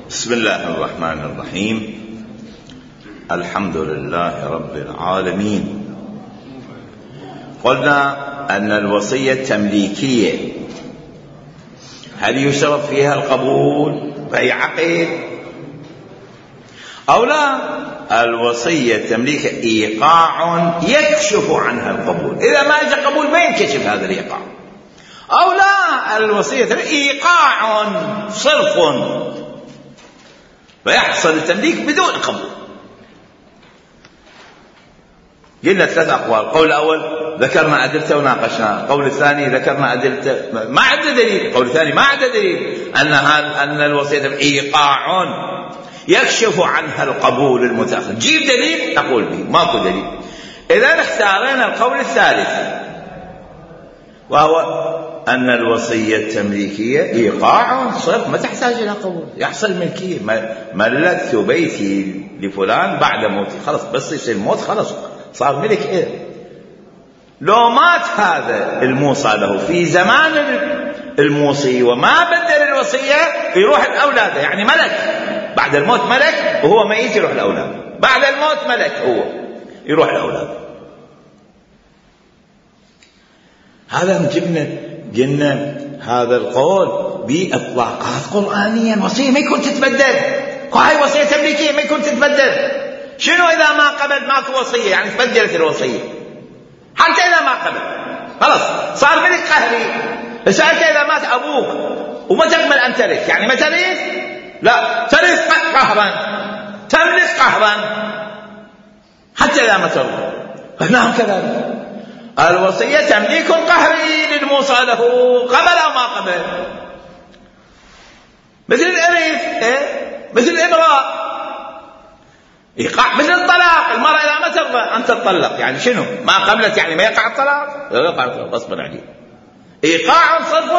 بسم الله الرحمن الرحيم. الحمد لله رب العالمين. قلنا أن الوصية تمليكية، هل يشترط فيها القبول في عقد أو لا؟ الوصية تمليك إيقاع يكشف عنها القبول، إذا ما جاء قبول ما ينكشف هذا الإيقاع. أو لا، الوصية إيقاع صرف فيحصل التمليك بدون قبول. قلنا ثلاث أقوال. القول الأول ذكرنا أدلته وناقشناه، القول الثاني ذكرنا أدلته ما عنده دليل، القول الثاني ما عنده دليل أن الوصية إيقاع يكشف عنها القبول المتأخر. جيب دليل نقول به، ماكو دليل. إذا اختارنا القول الثالث وهو أن الوصية التمليكية إيقاع صرف ما تحتاج إلى قبول، يحصل ملكية. ملكت بيتي لفلان بعد موتي، خلص بس يصير الموت خلص صار ملك. إيه لو مات هذا الموصى له في زمان الموصي وما بدل الوصية يروح الأولاد، يعني ملك بعد الموت، ملك وهو ميت يروح الأولاد، بعد الموت ملك هو يروح الأولاد. هذا قلنا هذا القول بإطلاقات قرآنية. الوصية ما يكون تتبدل، هاي وصية تمليكية ما يكون تتبدل. شنو إذا ما قبل ماكو وصية؟ يعني تبدلت الوصية. حتى إذا ما قبل خلاص صار ملك قهري. سألت إذا مات أبوك وما تقبل أن ترث، يعني ما ترث؟ لا، ترث قهرا، تملك قهرا حتى إذا ما ترث. هنا كذلك الوصية تمليك قهري للموصى له قبل أو ما قبل، مثل الإرث، مثل الإبراء، إيقاع، مثل الطلاق. المرأة إذا ما ترضى أن تطلق، يعني شنو؟ ما قبلت يعني ما يقع الطلاق، يقع الطلاق غصبا عليه. إيقاع صرف.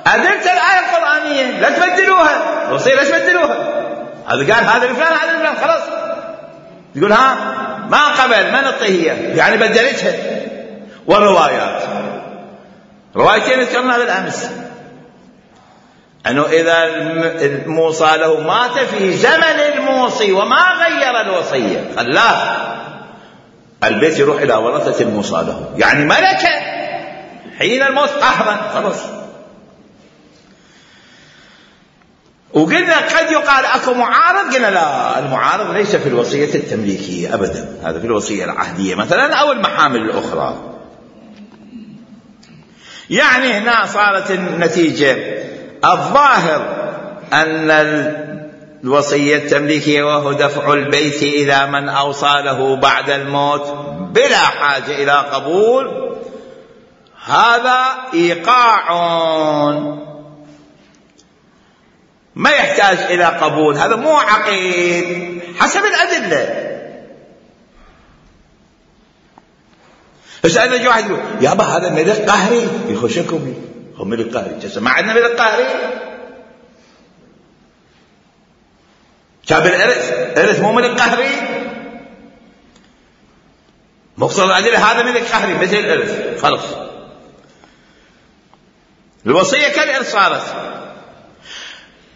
أدلت الآية القرآنية لا تبدلوها، الوصية لا تبدلوها. هذا قال هذا لفلان هذا لفلان، خلاص يقول ها ما قبل ما نعطيه يعني بدلتها. والروايات روايتين ذكرنا بالأمس، أنه إذا الموصى له مات في زمن الموصي وما غير الوصية خلاه البيت يروح إلى ورثة الموصى له، يعني ملكة حين الموت قهرا خلاص. وقلنا قد يقال أكو معارض، قلنا لا، المعارض ليس في الوصية التمليكية أبدا، هذا في الوصية العهدية مثلا أو المحامل الأخرى. يعني هنا صارت النتيجة الظاهر أن الوصية التمليكية وهو دفع البيت إلى من أوصى له بعد الموت بلا حاجة إلى قبول، هذا إيقاع ما يحتاج إلى قبول، هذا مو عقيد حسب الأدلة. فسألنا جواحد يقول يابا هذا ملك قهري، يخشكم هو ملك قهري، ما عندنا ملك قهري. شاب الإرث مو ملك قهري، مقصد الأدلة هذا ملك قهري مثل الإرث خلص. الوصية كالإرث صارت،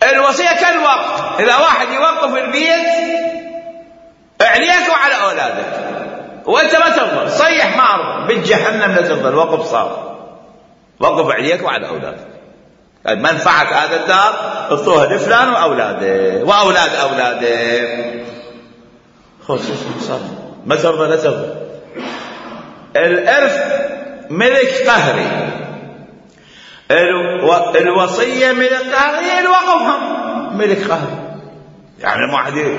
الوصية كالوقف. إذا واحد يوقف البيت عليك وعلى أولادك وأنت ما ترضى، صيح ما أرضى بالجهنم لا ترضى، الوقف صار وقف عليك وعلى أولادك. منفعة هذا الدار اعطوها لفلان وأولاده وأولاد أولاده، خلاص صار ما ترضى لا ترضى. الإرث ملك قهري، الوصية ملك قهري، الوقف هم ملك قهري. يعني واحد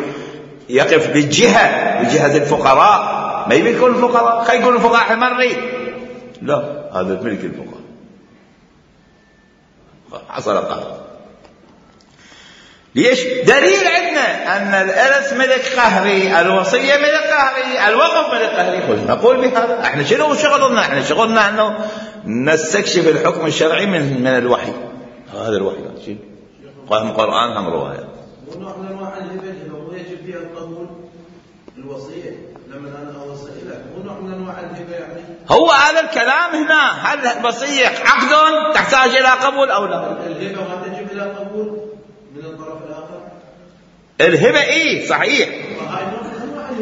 يقف بجهة الفقراء ما يكون الفقراء، خي يقول الفقراء ما نريد، لا هذا ملك الفقراء حصل قهر. ليش؟ دليل عندنا أن الإرث ملك قهري، الوصية ملك قهري، الوقف ملك قهري. نقول بهذا. احنا شنو شغلنا؟ احنا شغلنا أنه نستكشف الحكم الشرعي من الوحي. هذا الوحي شيء هم قرآن هم رواية. ونوع من انواع الهبه لو يجب فيها القبول الوصيه لما انا اوصي لك، ونوع من انواع الهبه يعني هو هذا الكلام هنا. هل الوصيه عقد تحتاج الى قبول او لا؟ الهبه ما تجب الى قبول من الطرف الاخر. الهبة صحيح،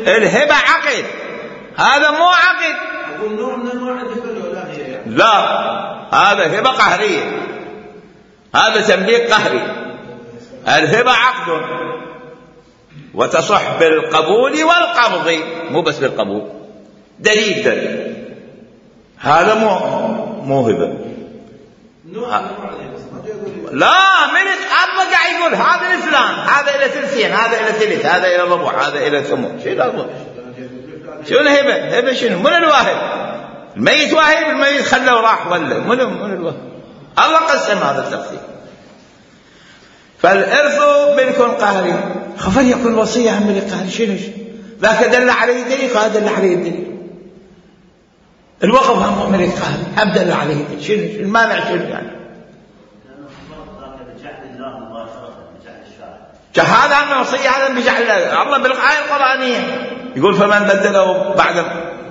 الهبة عقد، هذا مو عقد. أقول نوع من أنواع الهبة الولاهية يعني. لا، هذا هبة قهرية، هذا تمليك قهري. الهبة عقد وتصح بالقبول والقبض، مو بس بالقبول. دليل هذا مو هبة. لا، ملك الله قاعد يقول هذا لفلان، هذا إلى ثلثين، هذا إلى ثلث، هذا إلى ربع، هذا إلى ثمن. شنو الهبة؟ هبة شنو؟ من الواهب؟ الميت واهب، الميت خلى وراح ولا من الواهب؟ الله قسم هذا التقسيم. فالإرث ملك قهري، خفر يكون وصية عن ملك قهري. شنو ذاك دل عليه دليل، هذا دل عليه الدليل. الوقف هم ملك قهري، هم دل عليه دليل. شنو المانع؟ شنو يعني؟ هذا عن الوصية، هذا بجعل الله بالآية القرآنية يقول فمن بدله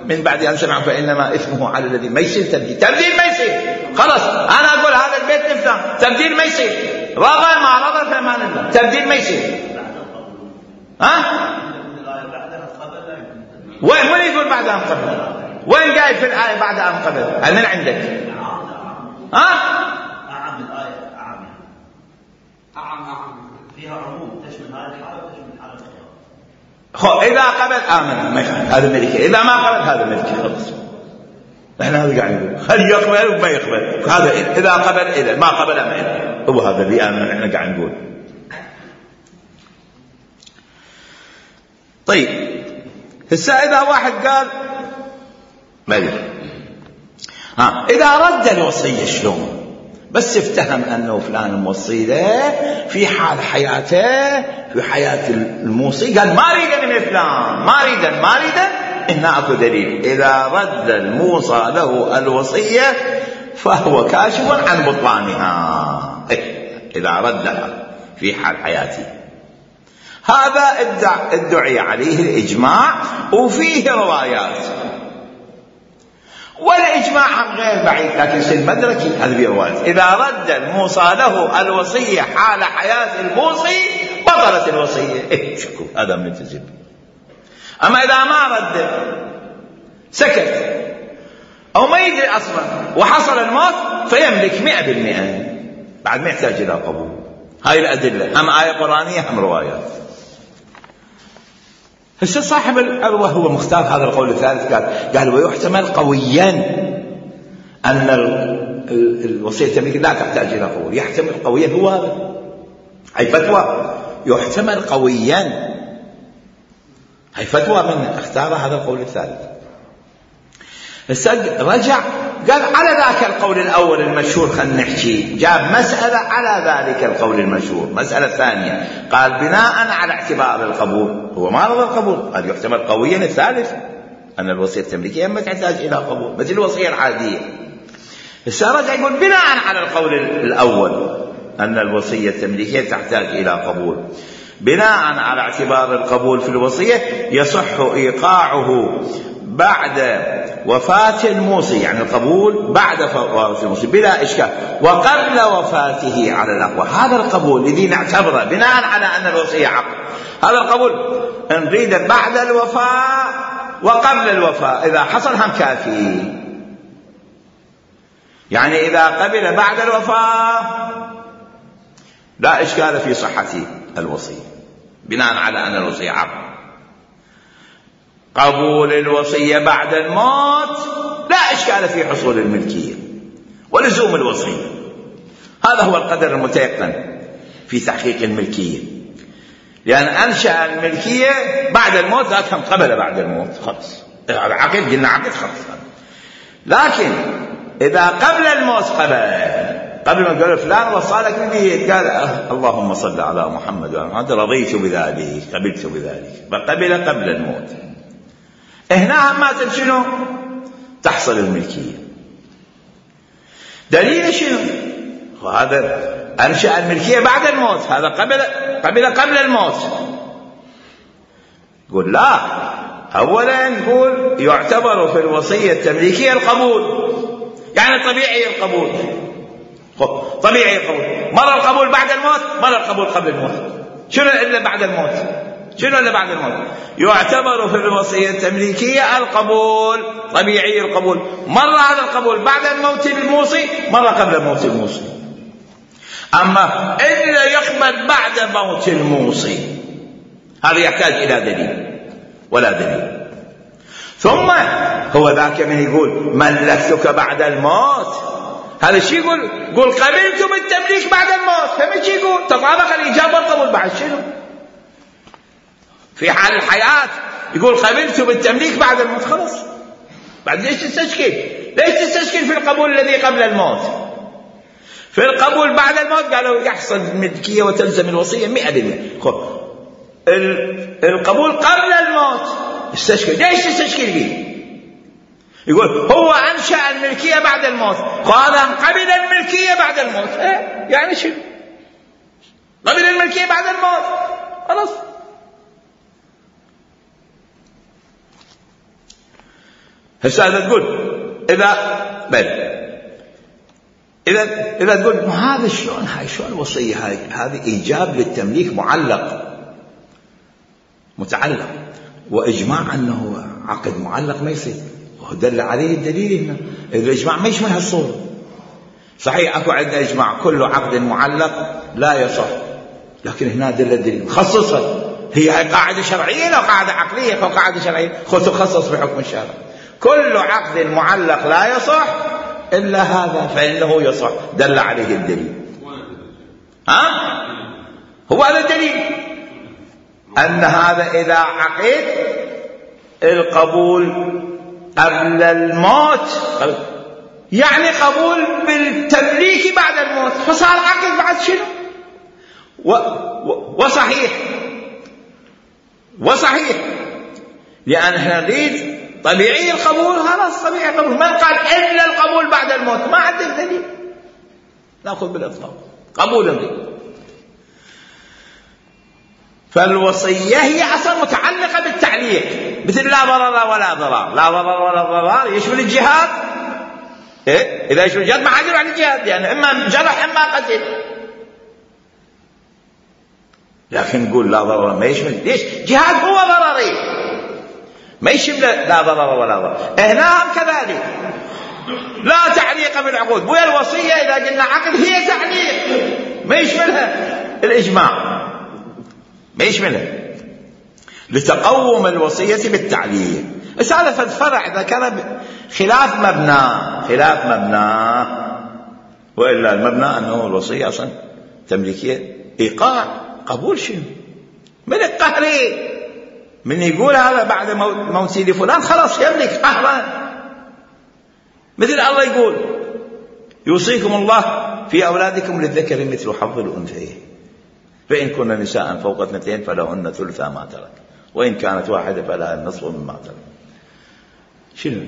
من بعد أن سمع فإنما إثمه على الذي. ما يصير تبديل ما يصير. خلاص أنا أقول هذا البيت لفلان، تبديل ما يصير. رضى ما رضى فأمان الله، تبديل ما يصير. وين يقول بعد أن قبل؟ وين قايل في الآية بعد أن قبل؟ من عندك؟ أعم الآية، أعم فيها عموم تشمل هذه الحالة وتشمل الحالة الأخرى. إذا قبل آمن هذا ملكي، إذا ما قبل هذا ملكي. خلاص احنا هذا قاعد نقول هل يقبل وما يقبل. هذا إذا قبل إذا ما قبل أمن، هو هذا اللي آمن احنا قاعد نقول. طيب هسه إذا واحد قال إذا رد الوصية شلون؟ بس افتهم أنه فلان موصي له في حال حياته، في حياة الموصي، قال ما أريد من فلان، ما أريد. هنا أكو دليل. إذا رد الموصى له الوصية فهو كاشف عن بطلانها. إذا ردها في حال حياته، هذا ادعي عليه الإجماع وفيه روايات، والإجماع عن غير بعيد، لكن في المدركي هذه روايات. إذا رد الموصى له الوصية حال حياة الموصي بطلت الوصية. شكو هذا ملتزم. أما إذا ما رد، سكت أو ما يدري أصلا وحصل الموت، فيملك 100%، بعد ما يحتاج إلى قبول. هاي الأدلة، هم آية قرآنية هم روايات. هسه صاحب الأروى هو مختار هذا القول الثالث، قال ويحتمل قويا أن الوصية التمليك لا تحتاج إلى قبول. يحتمل قويا، هو هذا هاي فتوى، يحتمل قويا، هاي فتوى من اختار هذا القول الثالث. هسه رجع قال على ذاك القول الأول المشهور، خلينا نحكي، جاب مسألة على ذلك القول المشهور. مسألة ثانية قال بناء على اعتبار القبول، هو ما رضى القبول، قال يحتمل قويا الثالث أن الوصية التمليكية ما تحتاج إلى قبول مثل الوصية العادية. هسه رجع يقول بناء على القول الأول أن الوصية التمليكية تحتاج إلى قبول، بناء على اعتبار القبول في الوصية يصح إيقاعه بعد وفاة الموصي، يعني القبول بعد وفاة الموصي بلا إشكال، وقبل وفاته على الأقوى. هذا القبول الذي نعتبره بناء على أن الوصية عقد، هذا القبول نريد بعد الوفاة وقبل الوفاة، إذا حصل هم كافي. يعني إذا قبل بعد الوفاة لا إشكال في صحة الوصية بناء على أن الوصية عقد. قبول الوصية بعد الموت لا إشكال في حصول الملكية ولزوم الوصية. هذا هو القدر المتيقن في تحقيق الملكية، لأن أنشأ الملكية بعد الموت، ذاك هم قبل بعد الموت، خلص العقد قلنا عقد خلص. لكن إذا قبل الموت، قبل ما قال فلان وصالك به، قال اللهم صل على محمد وعلى رضيت بذلك، قبلت بذلك، فقبل قبل الموت. هنا ما شنو تحصل الملكية. دليل شنو؟ هذا أنشأ الملكية بعد الموت، هذا قبل الموت. يقول لا، أولا يقول يعتبر في الوصية التمليكية القبول، يعني طبيعي القبول، طبيعي القبول، مرة القبول بعد الموت، مرة القبول قبل الموت. شنو إلا بعد الموت؟ شنو إلا بعد الموت؟ يعتبر في الوصية التمليكية القبول، طبيعي القبول، مرة هذا القبول بعد الموت الموصي، مرة قبل موت الموصي. أما إلا يقبل بعد موت الموصي هذا يحتاج إلى دليل، ولا دليل. ثم هو ذاك من يقول ملكتك بعد الموت، هذا الشيء يقول قبلت بالتمليك بعد الموت، فمن شيء يقول تطابق الإجابة والقبول بعد شنو؟ في حال الحياة يقول قبلت بالتمليك بعد الموت، خلاص بعد ليش تستشكل؟ ليش تستشكل في القبول الذي قبل الموت؟ في القبول بعد الموت قالوا يحصل الملكية وتلزم الوصية 100%. القبول قبل الموت استشكل، ليش تستشكل فيه؟ يقول هو أنشأ الملكية بعد الموت، قال قبل الملكية بعد الموت. يعني شو قبل الملكية بعد الموت؟ خلاص. هسه إذا تقول إذا تقول هذا شلون، هاي شلون الوصية هذه إيجاب للتمليك معلق متعلق، وإجماع أنه عقد معلق ما يصير، ودل عليه الدليل هنا. إذا الإجماع ما يشمل هالصورة. صحيح أكو عندنا إجماع كل عقد معلق لا يصح، لكن هنا دل الدليل خصصها، هي قاعدة شرعية لو قاعدة عقلية أو قاعدة شرعية، تخصص بحكم الشرع. كل عقد معلق لا يصح إلا هذا فإنه يصح، دل عليه الدليل. هو هذا الدليل، أن هذا إذا عقد القبول قبل الموت يعني قبول بالتمليك بعد الموت، فصار عقد بعد شنو؟ وصحيح لأن احنا نريد طبيعي القبول، خلاص طبيعي القبول. من قال إلا القبول بعد الموت؟ ما عندك دليل، نأخذ بالإطلاق قبول نريد. فالوصية هي أصلا متعلقة بالتعليق، مثل لا ضرر ولا ضرار. لا ضرر ولا ضرار يشمل الجهاد. إذا يشمل الجهاد ما حد يروح الجهاد، يعني إما جرح إما قتل. لكن نقول لا ضرر ما يشمل، ليش؟ جهاد هو ضرري، ما يشمل لا ضرر ولا ضرار. هنا كذلك لا تعليق بالعقود، ويا الوصية إذا قلنا عقد هي تعليق، ما يشملها الإجماع، ما يشملها، لتقوم الوصية بالتعليق. بس هذا في الفرع إذا كان خلاف مبنى، وإلا المبنى أنه الوصية أصلا تمليكية إيقاع قبول شنو؟ ملك قهري، من يقول هذا بعد موتي لفلان خلاص يملك قهرا. مثل الله يقول يوصيكم الله في أولادكم للذكر مثل حظ الأنثيين، فإن كن نساء فوق 2 فلهن ثلثا ما ترك، وإن كانت واحدة فلها النصف مما ترك. شنو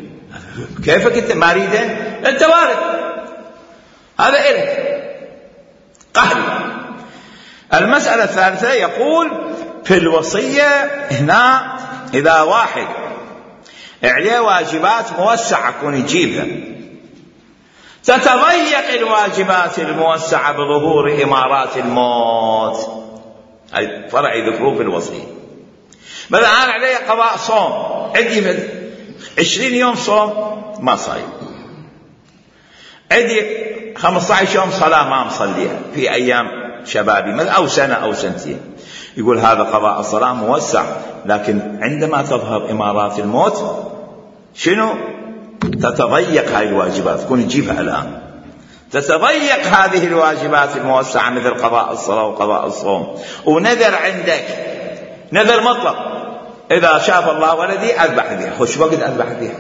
كيفك أنت مريضة أنت وارد، هذا إلك قهري. المسألة الثالثة يقول في الوصية هنا إذا واحد عليه واجبات موسعة كون يجيبها، تتضيق الواجبات الموسعة بظهور إمارات الموت. هاي فرع يذكروه في الوصية. مثلا أنا علي قضاء صوم، عندي 20 يوم صوم ما صايم، عندي 15 يوم صلاة ما مصليها في أيام شبابي أو سنة أو سنتين. يقول هذا قضاء الصلاة موسع، لكن عندما تظهر إمارات الموت شنو؟ تتضيق هذه الواجبات، تكون تجيبها الآن، تتضيق هذه الواجبات الموسعة مثل قضاء الصلاة وقضاء الصوم. ونذر عندك نذر مطلق، إذا شاف الله ولدي أذبح بها، خش وقت أذبح بها،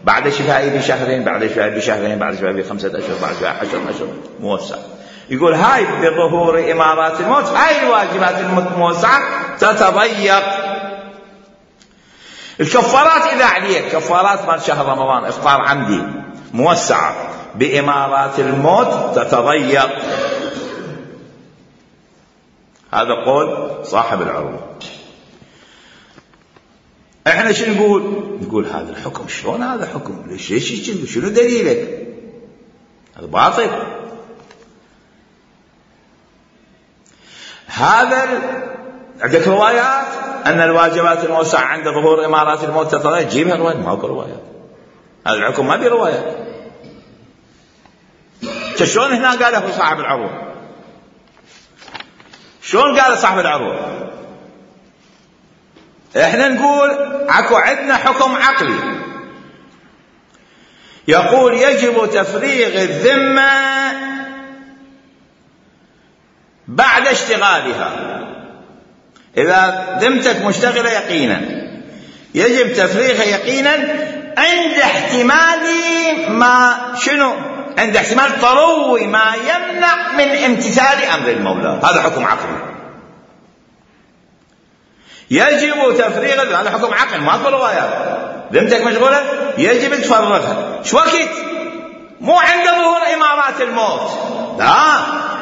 بعد شفائي بشهرين، بعد شفائي بشهرين، بعد شفائي ب5 أشهر، بعد شفائي 10 أشهر، موسع. يقول هاي بظهور إمارات الموت هاي الواجبات الموسعة تتضيق. الكفارات إذا عليك كفارات مال شهر رمضان إفطار عمدي موسعة، بإمارات الموت تتضيق. هذا قول صاحب العروض. احنا شو نقول هذا الحكم شلون هذا حكم؟ ليش شنو دليلك؟ هذا باطل. هذا عندك روايات أن الواجبات الموسعة عند ظهور إمارات الموت تتغير، جيبها روايات، ماكو روايات. هذا الحكم ما بروايات. شلون هنا قاله صاحب العروض؟ شلون قال صاحب العروض؟ احنا نقول اكو عندنا حكم عقلي يقول يجب تفريغ الذمة بعد اشتغالها. إذا ذمتك مشتغلة يقينا يجب تفريغها يقينا عند احتمال ما شنو؟ عند احتمال طروي ما يمنع من امتثال أمر المولى. هذا حكم عقلي. يجب تفريغ، هذا حكم عقل ماكو روايات. ذمتك مشغولة يجب تفرغها. شو وقت؟ مو عند ظهور إمارات الموت، لا،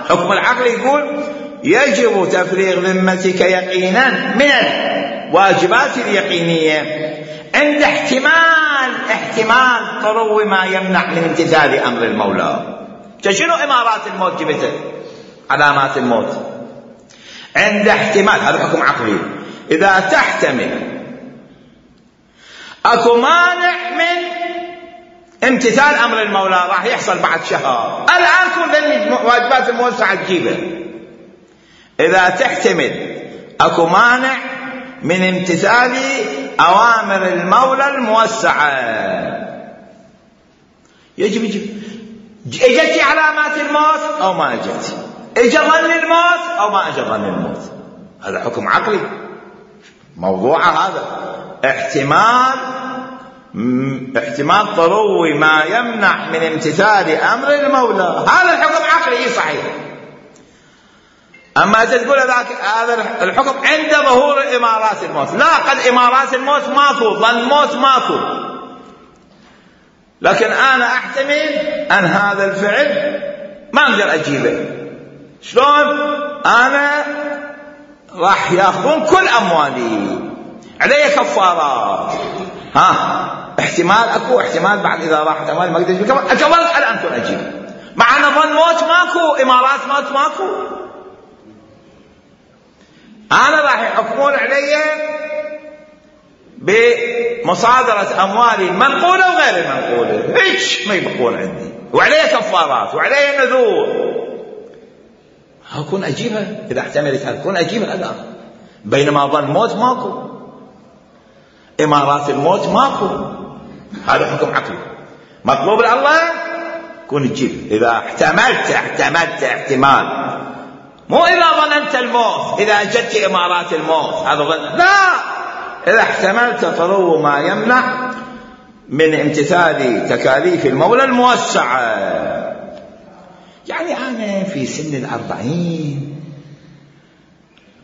حكم العقل يقول يجب تفريغ ذمتك يقينا من الواجبات اليقينية عند احتمال طرو ما يمنع من امتثال أمر المولى. شنو إمارات الموت جبته؟ علامات الموت. عند احتمال، هذا حكم عقلي، إذا تحتمل أكو مانع من امتثال أمر المولى راح يحصل بعد شهر. الآن كل واجبات الموسعة تجيبه. إذا تحتمل أكو مانع من امتثال أوامر المولى الموسعة يجب. اجت علامات الموت أو ما اجت، اجى ظن الموت أو ما اجى ظن الموت. هذا حكم عقلي. موضوع هذا احتمال طروي ما يمنع من امتثال أمر المولى. هذا الحكم عقلي صحيح. أما تقول هذا الحكم عند ظهور إمارات الموت، لا، قد إمارات الموت ماكو، ظن الموت ماكو، لكن أنا أحتمل أن هذا الفعل ما أقدر أجيبه. شلون؟ أنا راح يأخذون كل أموالي، علي كفارات. احتمال أكو، احتمال بعد إذا راحت أموالي ما أقدر أجيب أكبر الآن كن أجيب، مع أن ظن موت ماكو، إمارات موت ماكو. أنا راح يحكمون علي بمصادرة أموالي المنقولة وغير المنقولة، هيك ما يبقون عندي، وعلي كفارات وعلي نذور. أكون أجيبها إذا احتملت هذا، أكون أجيبها الآن، بينما ظن موت ماكو، إمارات الموت ماكو. هذا حكم عقلي مطلوب الله كون تجيب. إذا احتملت احتمال، مو إذا ظننت الموت، إذا جدت إمارات الموت هذا ظن، لا، إذا احتملت طرو ما يمنع من امتثال تكاليف المولى الموسعة. يعني أنا في سن 40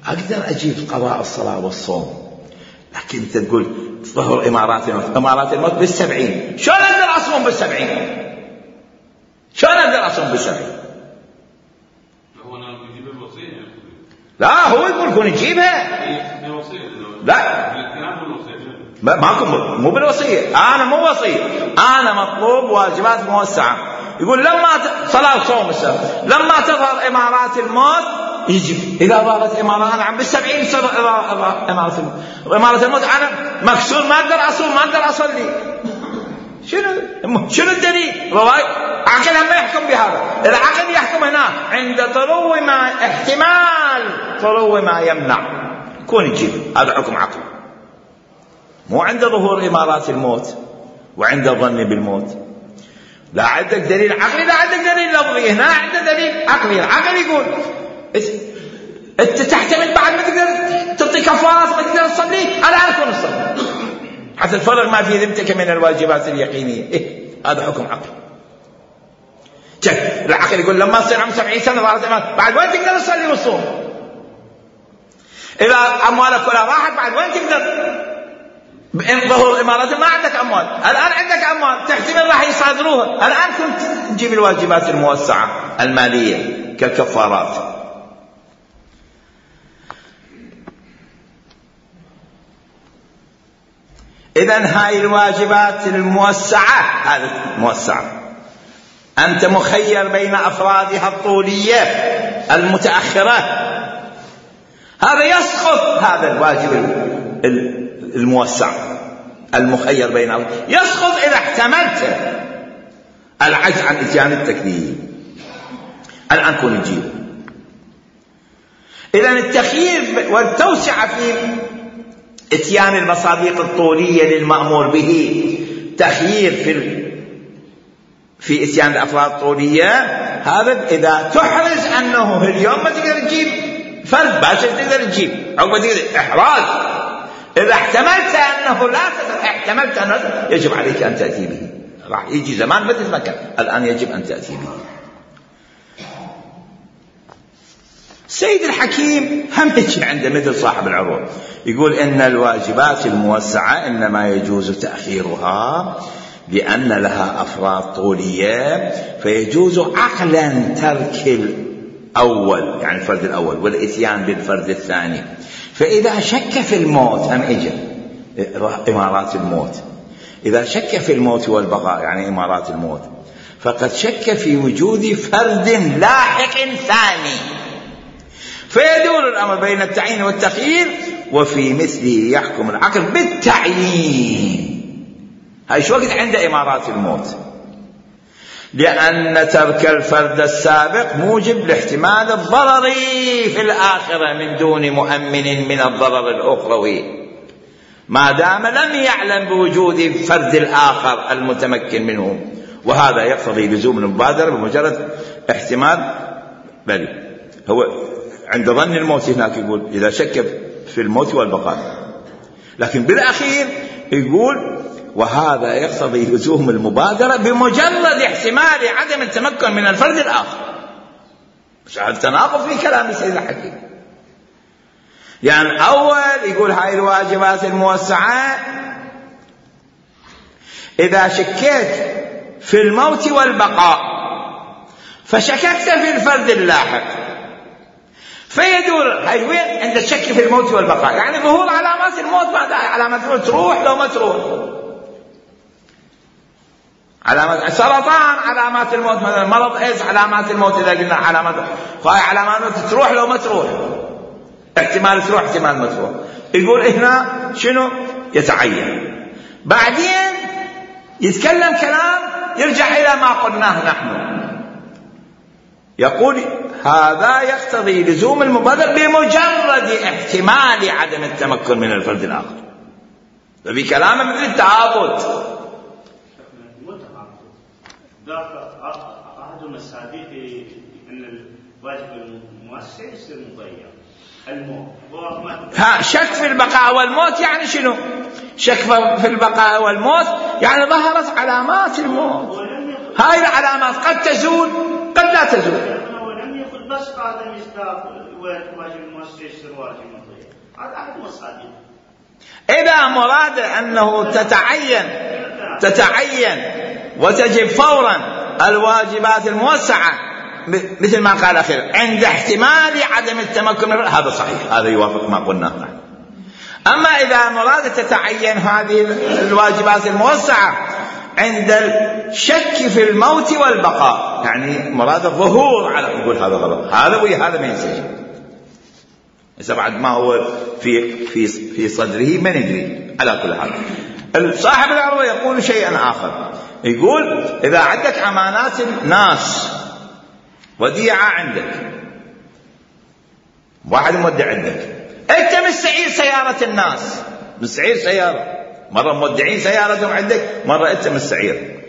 أقدر أجيب قضاء الصلاة والصوم، لكن أنت تقول ظهر إمارات الموت بال70، شلون أقدر أصوم بال70؟ شلون أقدر أصوم بال70؟ لا، هو يقول كون يجيبها. لا، ماكو، مو بالوصية. أنا مو وصية، أنا مطلوب واجبات موسعة. يقول لما صلاة صوم السنة لما تظهر إمارات الموت يجب. إذا ظهرت إمارات، أنا عم بال70 إمارات الموت، وإمارة الموت أنا مكسور، ما أقدر أصوم، ما أقدر أصلي. شنو الدليل؟ رواية عقل ما يحكم بهذا. العقل يحكم هنا عند طرو ما، احتمال طرو ما يمنع كون يجيب. هذا حكم عقل، مو عند ظهور إمارات الموت وعند الظن بالموت. لا عندك دليل عقلي، لا عندك دليل لفظي. هنا عندك دليل عقلي. العقل يقول انت تحتمل بعد ما تقدر تعطي كفارات، ما تقدر تصلي، الآن كون تصلي حتى تفرغ ما في ذمتك من الواجبات اليقينية. هذا حكم عقلي. العقل يقول لما تصير عمر 70 سنة بعد وين تقدر تصلي وتصوم؟ إذا أموالك كلها راحت بعد وين تقدر؟ بإن ظهور إمارات ما عندك أموال، الآن عندك أموال تحتمل راح يصادروها، الآن كنت تجيب الواجبات الموسعة المالية كالكفارات. إذن هاي الواجبات الموسعة، هذه موسعة، أنت مخير بين أفرادها الطولية المتأخرة هذا يسقط هذا الواجب الموسع المخير بينه، يسقط إذا احتملت العجز عن إتيان التكليف. الآن كون نجيب إذن التخيير والتوسعة في إتيان المصادق الطولية للمأمور به، تخيير في إتيان الأفراد الطولية، هذا إذا تحرز أنه اليوم ما تقدر تجيب فرد باشا تقدر تجيب أو ما تقدر إحراز، إذا احتملت أنه لا تقدر، احتملت أنه يجب عليك أن تأتي به. راح يجي زمان ما تتمكن، الآن يجب أن تأتي به. السيد الحكيم هم يجي عنده مثل صاحب العروض، يقول إن الواجبات الموسعة إنما يجوز تأخيرها لأن لها أفراد طولية، فيجوز عقلا ترك الأول يعني الفرد الأول والإتيان بالفرد الثاني. فإذا شك في الموت هم إجا إمارات الموت، إذا شك في الموت والبقاء يعني إمارات الموت، فقد شك في وجود فرد لاحق ثاني، فيدور الأمر بين التعيين والتخيير، وفي مثله يحكم العقل بالتعيين. هاي شو وقت عند إمارات الموت، لأن ترك الفرد السابق موجب لاحتمال الضرر في الآخرة من دون مؤمن من الضرر الأخروي، ما دام لم يعلم بوجود الفرد الآخر المتمكن منه، وهذا يقتضي لزوم المبادرة بمجرد احتمال. بل هو عند ظن الموت هناك يقول إذا شك في الموت والبقاء، لكن بالأخير يقول وهذا يقتضي لزوم المبادرة بمجرد احتمال عدم التمكن من الفرد الآخر. مش هذا تناقض في كلام السيد الحكيم. يعني أول يقول هاي الواجبات الموسعة إذا شكيت في الموت والبقاء فشككت في الفرد اللاحق، فيدور هاي وين عند الشك في الموت والبقاء، يعني ظهور علامات الموت، بعد علامات الموت تروح لو ما تروح، علامات سرطان علامات الموت مثلا، مرض ايز علامات الموت اذا قلنا علامات، فهي علامات الموت تروح لو ما تروح، احتمال تروح احتمال ما تروح. يقول هنا شنو يتعين، بعدين يتكلم كلام يرجع الى ما قلناه نحن، يقول هذا يقتضي لزوم المبادرة بمجرد احتمال عدم التمكن من الفرد الآخر. ففي كلامه مثل التعاضد. أحد المصادق أن الواجب المؤسس يصير مضيع الموت. شك في البقاء والموت يعني شنو؟ شك في البقاء والموت يعني ظهرت علامات الموت، هاي العلامات قد تزول قد لا تزول. بس هذا مصداق واجب المؤسس يصير واجب مضيع، هذا أحد المصادق. إذا مراد أنه تتعين وتجب فورا الواجبات الموسعة مثل ما قال أخيرا عند احتمال عدم التمكن، هذا صحيح، هذا يوافق ما قلناه نحن. أما إذا مراد تتعين هذه الواجبات الموسعة عند الشك في الموت والبقاء، يعني مراد الظهور على، يقول هذا غلط، هذا وهذا ما ينسجم. إذا بعد ما هو في صدره ما ندري. على كل حال صاحب العروة يقول شيئا آخر، يقول إذا عندك أمانات الناس وديعة عندك، واحد مودع عندك، أنت مستعير سيارة الناس، مستعير سيارة، مرة مودعين سيارتهم عندك، مرة أنت مستعير،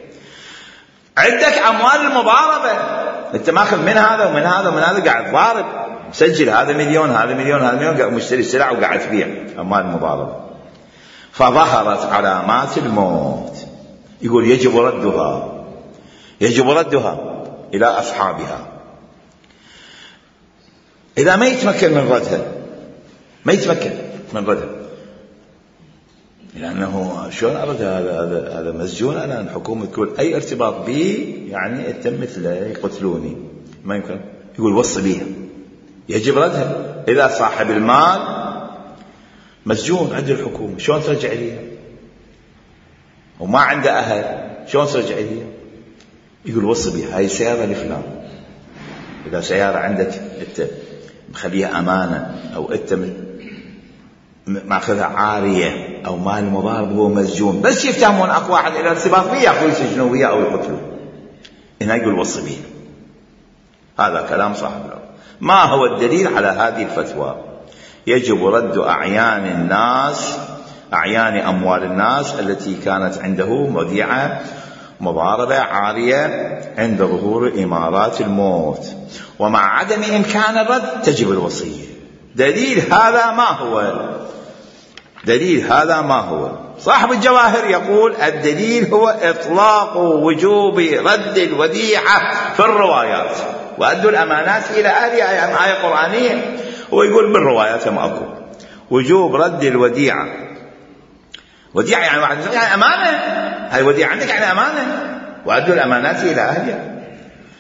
عندك أموال المضاربة، أنت ماخذ من هذا ومن هذا ومن هذا، قاعد ضارب مسجل هذا مليون هذا مليون هذا مليون، قاعد مشتري سلع وقاعد تبيع أموال المضاربة، فظهرت علامات الموت، يقول يجب ردها إلى أصحابها. إذا ما يتمكن من ردها، لأنه شلون أرد هذا مسجون، أنا الحكومة تقول أي ارتباط بي يعني أتم مثله يقتلوني، ما يمكن. يقول وصي بيها، يجب ردها. إذا صاحب المال مسجون عند الحكومة، شلون ترجع ليها؟ وما عنده أهل، شلون ترجع ليها؟ يقول وصي بيها، هاي سيارة لفلان. إذا سيارة عندك أنت مخليها أمانة، أو أنت ماخذها عارية، أو مال المضارب هو مسجون، بس يفتهمون أكو واحد إلى ارتباط بيه أخوه يسجنوا وياه أو يقتلوه، هنا يقول وصي به. هذا كلام صاحب الأرض. ما هو الدليل على هذه الفتوى؟ يجب رد أعيان الناس، أعيان أموال الناس التي كانت عنده وديعة مضاربة عارية عند ظهور إمارات الموت، ومع عدم إمكان الرد تجب الوصية. دليل هذا ما هو؟ دليل هذا ما هو؟ صاحب الجواهر يقول الدليل هو إطلاق وجوب رد الوديعة في الروايات، وأدوا الأمانات إلى أهلها، آية قرآنية. هو يقول بالروايات ما أكو وجوب رد الوديعة. وديعة يعني واحد يعني أمانة، هاي وديعة عندك يعني أمانة، وأدوا الأمانات إلى أهلها.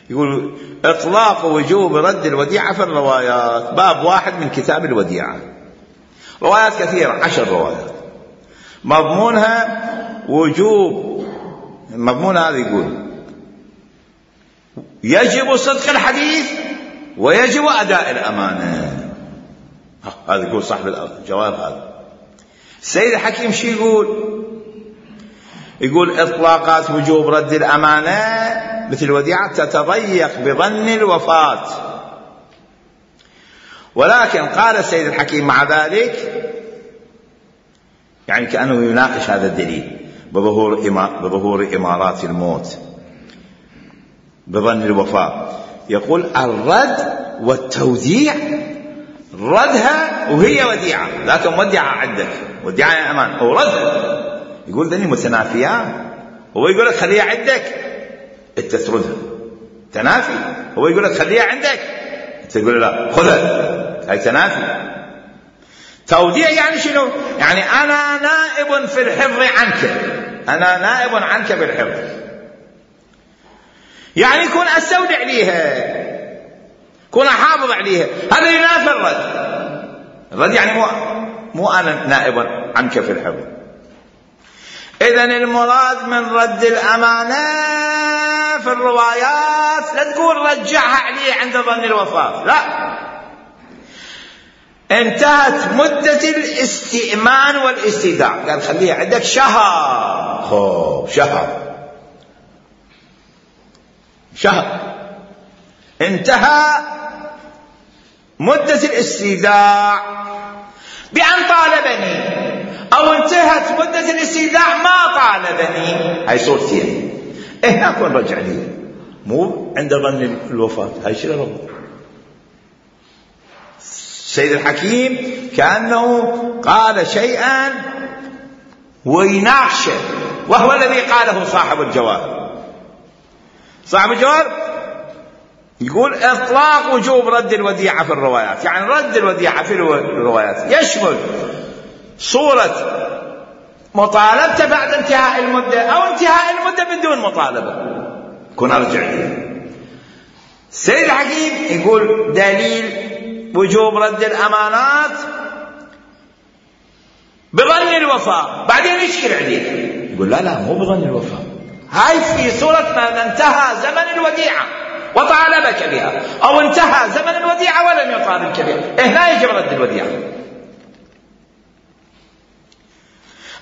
يقول إطلاق وجوب رد الوديعة في الروايات، باب 1 من كتاب الوديعة. روايات كثيرة، 10 روايات، مضمونها وجوب. مضمون هذا يقول يجب صدق الحديث ويجب أداء الأمانة. هذا يقول صاحب الجواب. هذا السيد الحكيم شو يقول إطلاقات وجوب رد الأمانة مثل الوديعة تتضيق بظن الوفاة، ولكن قال السيد الحكيم مع ذلك، يعني كأنه يناقش هذا الدليل بظهور إمارات الموت بظن الوفاة، يقول الرد والتوديع، ردها وهي وديعة، لكن وديعة عندك، وديعة يا أمان، أو ردها، يقول ذني متنافيان. هو يقول لك خليها عندك، أنت تردها، تنافي. هو يقول لك خليها عندك، أنت تقول لا خذها، هاي تنافي. توديع يعني شنو؟ يعني أنا نائب في الحفظ عنك، أنا نائب عنك بالحفظ، يعني كون أستودع ليها، كون أحافظ عليها، هذا ينافي الرد. الرد يعني مو أنا نائب عنك في الحفظ. إذن المراد من رد الأمانة في الروايات لا تقول رجعها عليه عند ظن الوفاة، لا، انتهت مدة الاستئمان والاستيداع، قال خليها عندك شهر. شهر انتهى مدة الاستيداع بأن طالبني، أو انتهت مدة الاستيداع ما طالبني، هاي صورتين. هنا كون رجع لي، مو عند ظن الوفاة، هاي شنو ربط؟ السيد الحكيم كأنه قال شيئا ويناقشه، وهو الذي قاله صاحب الجواهر. صاحب الجواهر يقول إطلاق وجوب رد الوديعة في الروايات، يعني رد الوديعة في الروايات يشمل صورة مطالبته بعد انتهاء المدة، أو انتهاء المدة بدون مطالبة، كن أرجع لي. السيد الحكيم يقول دليل وجوب رد الأمانات بظن الوفاة، بعدين يشكل عليه يقول لا مو بظن الوفاة، هاي في صورة ما انتهى زمن الوديعة وطالبك بها، أو انتهى زمن الوديعة ولم يطالبك بها، هنا يجب رد الوديعة.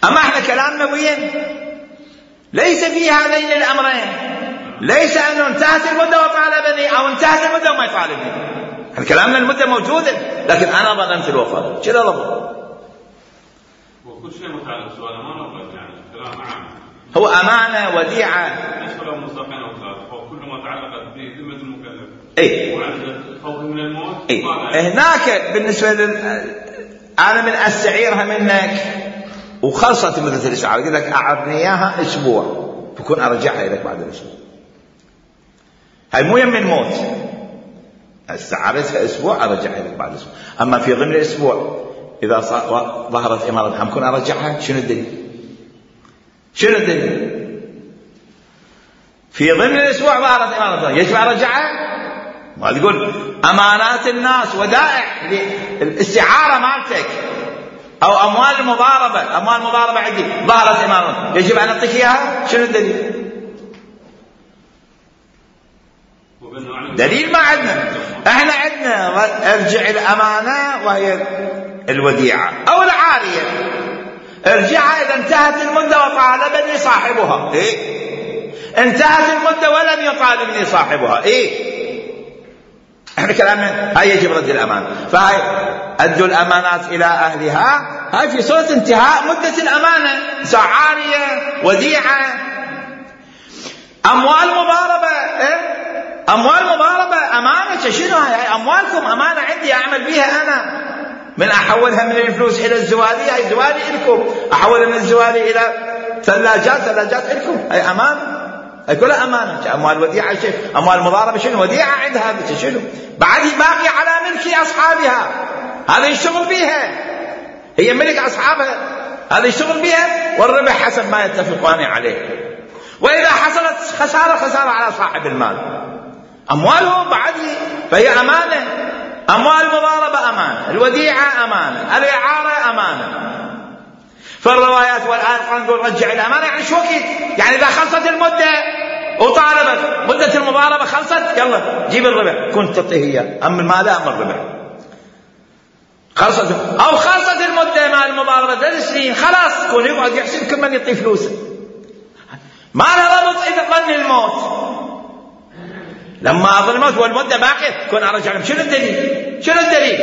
أما احنا كلامنا وين؟ ليس في هذين الأمرين، ليس أنه انتهت المدة وطالبني، أو انتهت المدة وما يطالبني. احنا كلامنا المدة موجودة، لكن أنا ظننت الوفاة، كذا ضبط. وكل شيء متعلق سؤال أمانة، يعني كلام عام، هو أمانة وديعة، ليس له مصداقين أو ثلاث، هو كل ما تعلق بذمة المكلف. وعند الخوف من الموت. هناك بالنسبة أنا من أستعيرها منك وخلصت مدة الإسعار، يقول لك أعرني إياها أسبوع، بكون أرجعها إليك بعد الأسبوع. هاي مو يم الموت، استعارتها أسبوع أرجعها إليك بعد أسبوع. أما في ضمن الأسبوع إذا ظهرت إمارة ممكن أرجعها، شنو الدليل؟ شنو الدليل؟ في ضمن الأسبوع ظهرت إمارة يجب أرجعها؟ ما تقول أمانات الناس ودائع الاستعارة مالتك، أو أموال مضاربة عندي ظهرت إمارة يجب أن أعطيك إياها، شنو الدليل؟ دليل ما عندنا. احنا عندنا ارجع الامانة وهي الوديعة او العارية. ارجعها اذا انتهت المدة وطالبني صاحبها. انتهت المدة ولم يطالبني صاحبها. احنا كلامنا هاي يجب رد الامانة. فهاي ادوا الامانات الى اهلها. هاي في صورة انتهاء مدة الامانة. عارية، وديعة، اموال مضاربة. اموال مضاربة امانة. شنو هاي؟ اموالكم امانة عندي اعمل بيها انا. من احولها من الفلوس الى الزوالي، هاي زوالي لكم. احولها من الزوالي الى ثلاجات لكم. هاي امانة. هاي كلها امانة. اموال وديعة شيء، اموال مضاربة شنو؟ وديعة عندها شنو؟ بعد باقي على ملك اصحابها. هذا يشتغل بيها، هي ملك اصحابها، هذا يشتغل بيها، والربح حسب ما يتفقان عليه. واذا حصلت خسارة على صاحب المال. اموالهم بعد فهي امانة. اموال المضاربة امانة، الوديعة امانة، الاعارة امانة. فالروايات والآن نقول رجع الامانة، يعني شو وقت؟ يعني اذا خلصت المدة وطالبت مدة المضاربة خلصت، يلا جيب الربح، كنت تعطيه اياه. اما المال اما الربح خلصت، او خلصت المدة مع المضاربة 3 سنين، خلاص كون يقعد يحسن كل من يعطي فلوسه. ما له ربط اذا ظن الموت. لما ظن الموت والمدة باقية كون ارجع لهم. شنو الدليل؟ شنو الدليل؟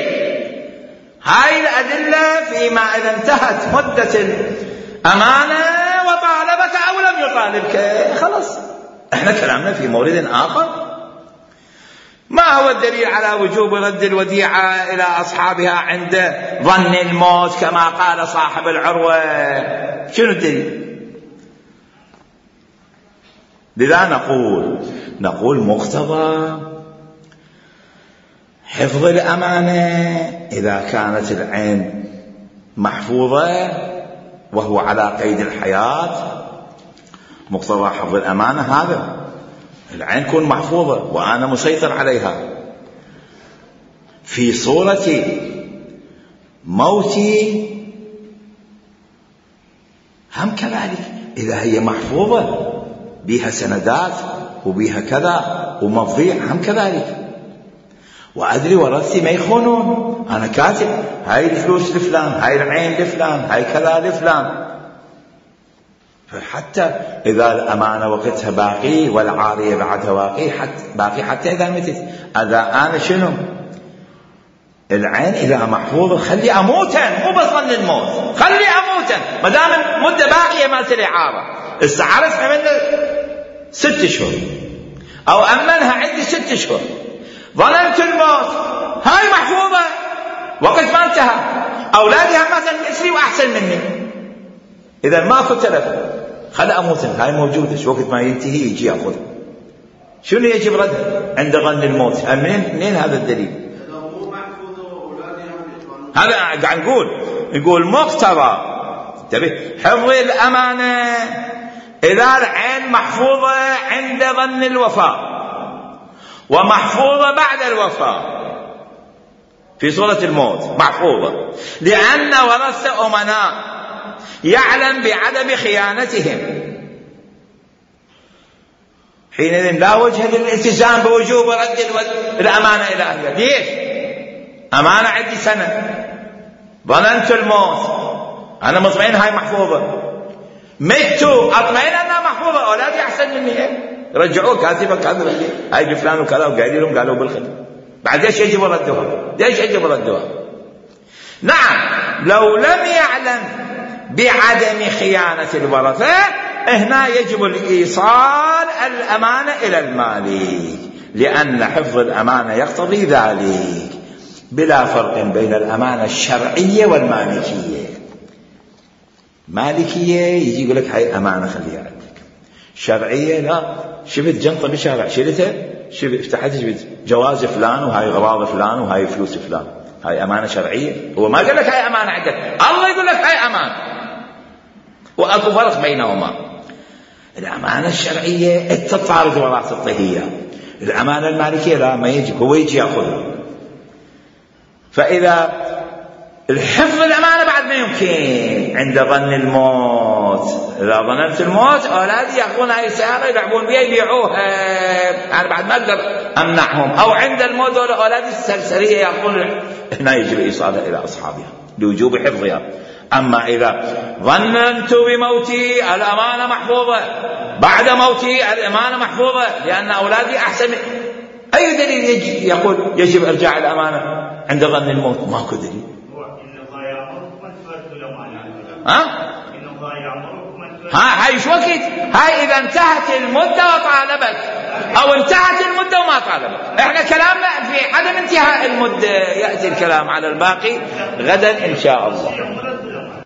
هاي الادلة فيما اذا انتهت مدة الامانة وطالبك او لم يطالبك، خلاص. احنا كلامنا في مورد اخر. ما هو الدليل على وجوب رد الوديعة الى اصحابها عند ظن الموت كما قال صاحب العروة؟ شنو الدليل؟ لذا نقول مقتضى حفظ الأمانة إذا كانت العين محفوظة وهو على قيد الحياة. مقتضى حفظ الأمانة هذا العين تكون محفوظة وأنا مسيطر عليها. في صورة موتي هم كذلك، إذا هي محفوظة بها سندات وبها كذا ومفضيع هم كذلك، وأدري ورثتي ما يخونون. أنا كاتب هاي الفلوس لفلان، هاي العين لفلان، هاي كذا لفلان. فحتى إذا الأمانة وقتها باقي والعارية بعدها باقي حتى إذا متت. إذا أنا شنو العين إذا محفوظة خلي أموتا، مو بس ظن الموت، خلي أموتا ما دام مدة باقية مالت الإعارة. استعرفها منه 6 أشهر أو أمنها عندي 6 أشهر، ظننت الموت، هاي محفوظة وقت ما انتهى. أولادها مثلا مثلي وأحسن مني، إذا ماكو تلف خلي أموت، هاي موجودة. وقت ما ينتهي يجي يأخذ. شنو يجب رده عند ظن الموت؟ منين هذا الدليل؟ هذا قاعد نقول مقتضى حفظ الأمانة إذا العين محفوظة عند ظن الوفاة ومحفوظة بعد الوفاة. في صورة الموت محفوظة، لأن ورثة أمناء يعلم بعدم خيانتهم، حينئذ لا وجه للالتزام بوجوب رد الأمانة إلى أهلها. ليش؟ أمانة عندي سنة، ظننت الموت، أنا مطمئن هاي محفوظة، متوا أطمئن أنها محفوظة، أولادي أحسن مني رجعوه كاتبا كذا هاي لفلان وكذا وقاعدين لهم قالوا بالخدمة. بعد ليش يجب ردها؟ ليش يجب ردها؟ نعم لو لم يعلم بعدم خيانة الورثة هنا يجب الإيصال الأمانة إلى المالك، لأن حفظ الأمانة يقتضي ذلك، بلا فرق بين الأمانة الشرعية والمالكية. مالكية يجي يقول لك هاي أمانة خليها عندك، شرعية لا، شفت جنطة بالشارع شلتها، فتحت شفت جواز فلان وهاي غراض فلان وهاي فلوس فلان، هاي أمانة شرعية. هو ما قال لك هاي أمانة عندك، الله يقول لك هاي أمانة، وأكو فرق بينهما. الأمانة الشرعية تتعارض وراء تعطيها، الأمانة المالكية لا، ما يجب، هو يجي يأخذها. فإذا الحفظ الأمانة بعد ما يمكن عند ظن الموت إذا ظننت الموت أولادي يأخذون هاي السيارة يلعبون بها يبيعوها، يعني بعد ما أقدر أمنعهم. أو عند الموت أولادي السرسرية يأخذون، هنا يجب إيصالها إلى أصحابها لوجوب حفظها. أما إذا ظننت بموتي الأمانة محفوظة، بعد موتي الأمانة محفوظة لأن أولادي أحسن، أي دليل يقول يجب إرجاع الأمانة عند ظن الموت؟ ماكو دليل. هاي شو وقت؟ هاي إذا انتهت المدة وطالبت، أو انتهت المدة وما طالبت. إحنا كلامنا في عدم انتهاء المدة، يأتي الكلام على الباقي غدا إن شاء الله.